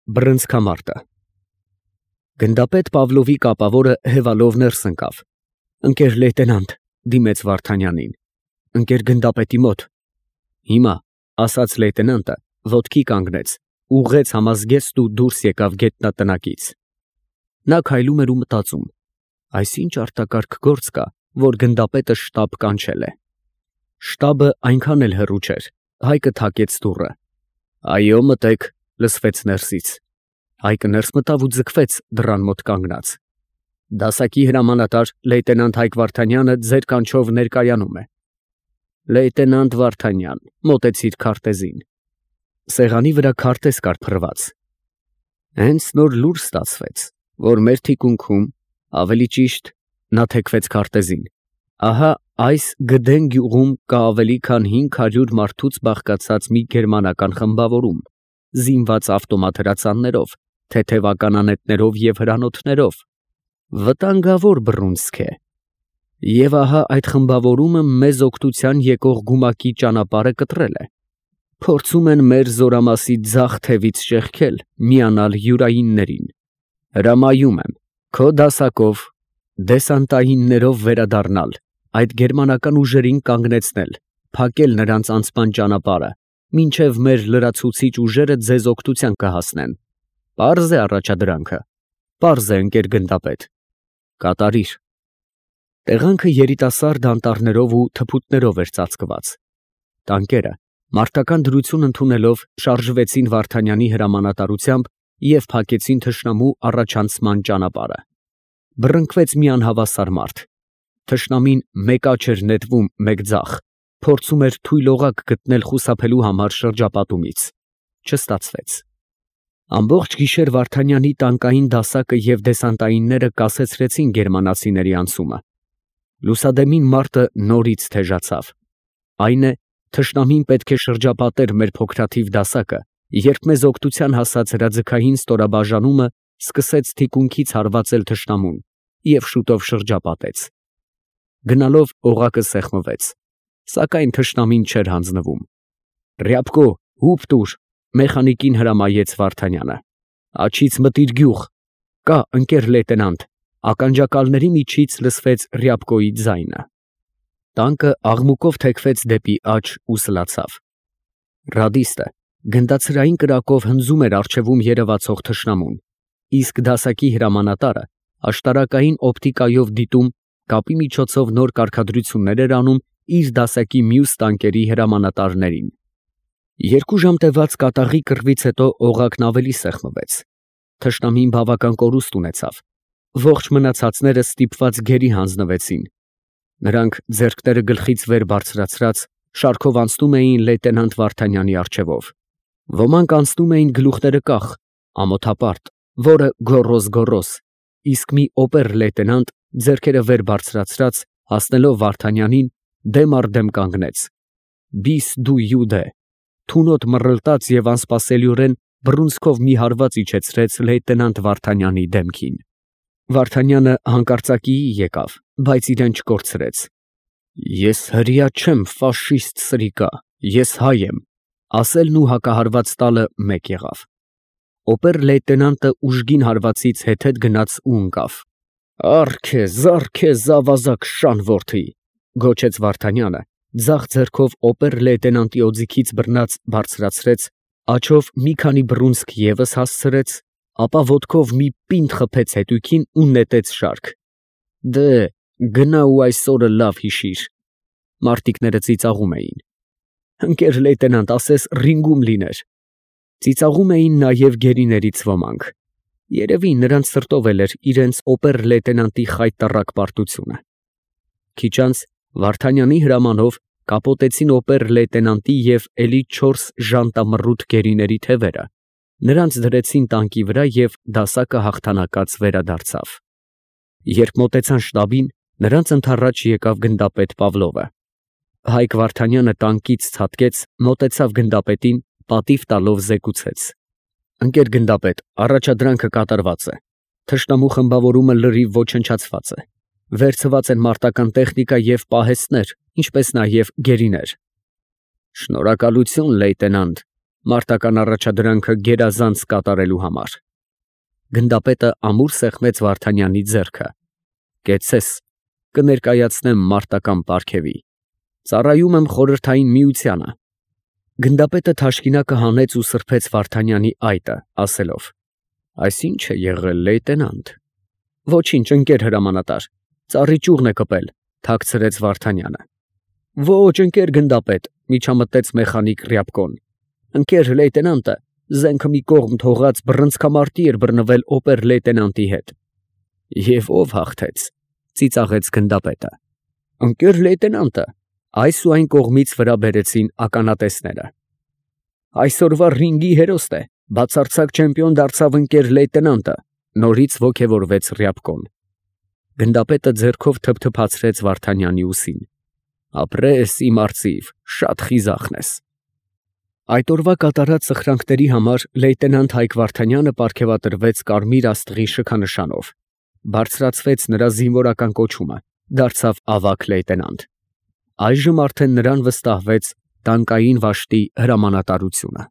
Բռնցքամարտը։ Գնդապետ Պավլովի կապավորը հևալով ներս ընկավ։ Ընկեր լեյտենանտ, դիմեց Վարդանյանին, ընկեր գնդապետի մոտ։ Հիմա, ասաց լեյտենանտը, ոտքի կանգնեց, ուղղեց համազգեստն ու դուրս եկավ գետնատնակից։ Նա քայլում էր ու մտածում. այս ինչ արտակարգ գործ կա, որ գնդապետը շտաբ կանչել է։ Շտաբը այնքան էլ հեռու չէր։ Հայկը թակեց դուռը։ Այո, մտեք, լսվեց ներսից։ Հայկը ներս մտավ ու ձգվեց դռան մոտ կանգնած։ Դասակի հրամանատար լեյտենանտ Հայկ Վարդանյանը ձեր կանչով ներկայանում է։ Լեյտենանտ Վարդանյան, մոտեցիր քարտեզին։ Սեղանի վրա քարտեզ կար փռված։ Հենց նոր լուր ստացվեց, որ մեր թիկունքում, ավելի ճիշտ, նա թեքվեց քարտեզին։ Ահա այս Գդեն գյուղում կա ավելի քան 500 մարդուց բաղկացած մի գերմանական խմբավորում, զինված ավտոմատ հրացաններով, թեթևական անետներով և հրանոթներով։ Վտանգավոր բռունցք է։ Եվ ահա այդ խմբավորումը մեզ օգնության եկող գումակի ճանապարհը կտրել է։ Փորձում են մեր զորամասի ձախ թևից շեղքել, միանալ յուրայիններին։ Հրամայում եմ քո դասակով դեսանտայիններով վերադառնալ, այդ գերմանական ուժերին կանգնեցնել, փակել նրանց անցման ճանապարհը, մինչև մեր լրացուցիչ ուժերը ձեզ օգնության կհասնեն։ Պարզ է առաջադրանքը։ Պարզ է, ընկեր գնդապետ։ Կատարիր։ Տեղանքը երիտասարդ անտառներով ու թփուտներով էր ծածկված։ Տանկերը, մարտական դրություն ընդունելով, շարժվեցին Վարդանյանի հրամանատարությամբ և փակեցին թշնամու առաջանցման ճանապարհը։ Բռնկվեց մի անհավասար մարդ։ Թշնամին մեկ աջ էր նետվում, մեկ ձախ, փորձում էր թույլ օղակ գտնել խուսափելու համար շրջապատումից։ Չստացվեց։ Ամբողջ գիշեր Վարդանյանի տանկային դասակը և դեսանտայինները կասեցրեցին գերմանացիների անցումը։ Լուսադեմին մարտը նորից թեժացավ։ Այն է, թշնամին պետք է շրջապատեր մեր փոքրաթիվ դասակը, երբ մեզ օգնության հասած հրաձգային ստորաբաժանումը սկսեց թիկունքից հարվածել թշնամուն և շուտով շրջապատեց։ Գնալով օղակը սեղմվեց, սակայն թշնամին չէր հանձնվում։ Ռյապկո, հուպ տուր, մեխանիկին հրամայեց Վարդանյանը։ Աջից մտիր գյուղ։ Կա, ընկեր լեյտենանտ։ Ականջակալների միջից լսվեց Ռյապկոյի ձայնը։ Տանկը աղմուկով թեքվեց դեպի աջ ու սլացավ։ Ռադիստը գնդացրային կրակով հնձում էր առջևում երևացող թշնամուն, իսկ դասակի հրամանատարը աշտարակային օպտիկայով դիտում, կապի միջոցով նոր կարգադրություններ էր անում իր դասակի մյուս տանկերի հրամանատարներին։ 2 ժամ տևած կատաղի կռվից հետո օղակն ավելի սեղմվեց։ Թշնամին բավական կորուստ ունեցավ։ Ողջ մնացածները ստիպված գերի հանձնվեցին։ Նրանք ձեռքները գլխից վեր բարձրացրած շարքով անցնում էին լեյտենանտ Վարդանյանի առջևով։ Ոմանք անցնում էին գլուխները կախ, ամոթապարտ, որը գոռոզ, իսկ մի օպեր֊լեյտենանտ ձեռքերը վեր բարձրացրած հասնելով Վարդանյանին դեմ առ դեմ կանգնեց։ Բիս դու յուդե, թունոտ մռլտաց և անսպասելիորեն բռունցքով մի հարված իջեցրեց լեյտենանտ Վարդանյանի դեմքին։ Վարդանյանը հանկարծակիի եկավ, բայց իրեն չկորցրեց։ Ես հրեա չեմ, ֆաշիստ սրիկա, ես հայ եմ, ասելն ու հակահարված տալը մեկ եղավ։ Օպեր֊լեյտենանտը ուժգին հարվածից հետեթ գնաց ու ընկավ։ Առ քեզ ավազակ շան որդի, գոչեց Վարդանյանը, ձախ ձեռքով օպեր֊լեյտենանտի օձիքից բռնած բարձրացրեց, աջով մի քանի բռունցք ևս հասցրեց, ապա ոտքով մի պինդ խփեց հետույքին ու նետեց շարք։ Դե, գնա ու այս օրը լավ հիշիր։ Մարտիկները ծիծաղում էին։ Ընկեր լեյտենանտ, ասես ռինգում լիներ։ Ծիծաղում էին նաև գերիներից ոմանք։ Երևի նրանց սրտով էր իրենց օպեր֊լեյտենանտի խայտառակ պարտությունը։ Քիչ անց Վարդանյանի հրամանով կապոտեցին օպեր֊լեյտենանտի և էլի 4 ժանտամռութ գերիների թևերը, նրանց դրեցին տանկի վրա և դասակը հաղթանակած վերադարձավ։ Երբ մոտեցան շտաբին, նրանց ընդառաջ եկավ գնդապետ Պավլովը։ Հայկ Վարդանյանը տանկից ցատկեց, մոտեցավ գնդապետին, պատիվ տալով զեկուցեց. ընկեր գնդապետ, առաջադրանքը կատարված է։ Թշնամու խմբավորումը լրիվ ոչնչացված է։ Վերցված են մարտական տեխնիկա և պահեստներ, ինչպես նաև գերիներ։ Շնորհակալություն, լեյտենանտ, մարտական առաջադրանքը գերազանց կատարելու համար։ Գնդապետը ամուր սեղմեց Վարդանյանի ձեռքը։ Կեցցես, կներկայացնեմ մարտական պարգևի։ Ծառայում եմ Խորհրդային Միությանը։ Գնդապետը թաշկինակը հանեց ու սրբեց Վարդանյանի այտը, ասելով. Այս ի՞նչ է եղել, լեյտենանտ։ Ոչինչ, ընկեր հրամանատար, ծառի ճյուղն է կպել, թաքցրեց Վարդանյանը։ Ոչ, ընկեր գնդապետ, միջամտեց մեխանիկ Ռյաբկոն։ Ընկեր լեյտենանտը զենքը մի կողմ թողած բռնցքամարտի էր բռնվել օպեր֊լեյտենանտի հետ։ Եվ ով հաղթեց, ծիծաղեց գնդապետը։ Ընկեր լեյտենանտը, այս ու այն կողմից վրա բերեցին ականատեսները։ Այսօրվա ռինգի հերոստ է, բացարձակ չեմպիոն դարձավ ընկեր լեյտենանտը, նորից ոգևորվեց Ռյաբկոն։ Գնդապետը ձեռքով թփթփացրեց Վարդանյանի ուսին։ Ապրես, իմ արծիվ, շատ խիզախն ես։ Այդ օրվա կատարած սխրանքների համար լեյտենանտ Հայկ Վարդանյանը պարգևատրվեց կարմիր աստղի շքանշանով, բարձրացվեց նրա զինվորական կոչումը, դարձավ ավագ լեյտենանտ։ Այժմ արդեն նրան վստահվեց տանկային վաշտի հրամանատարությունը։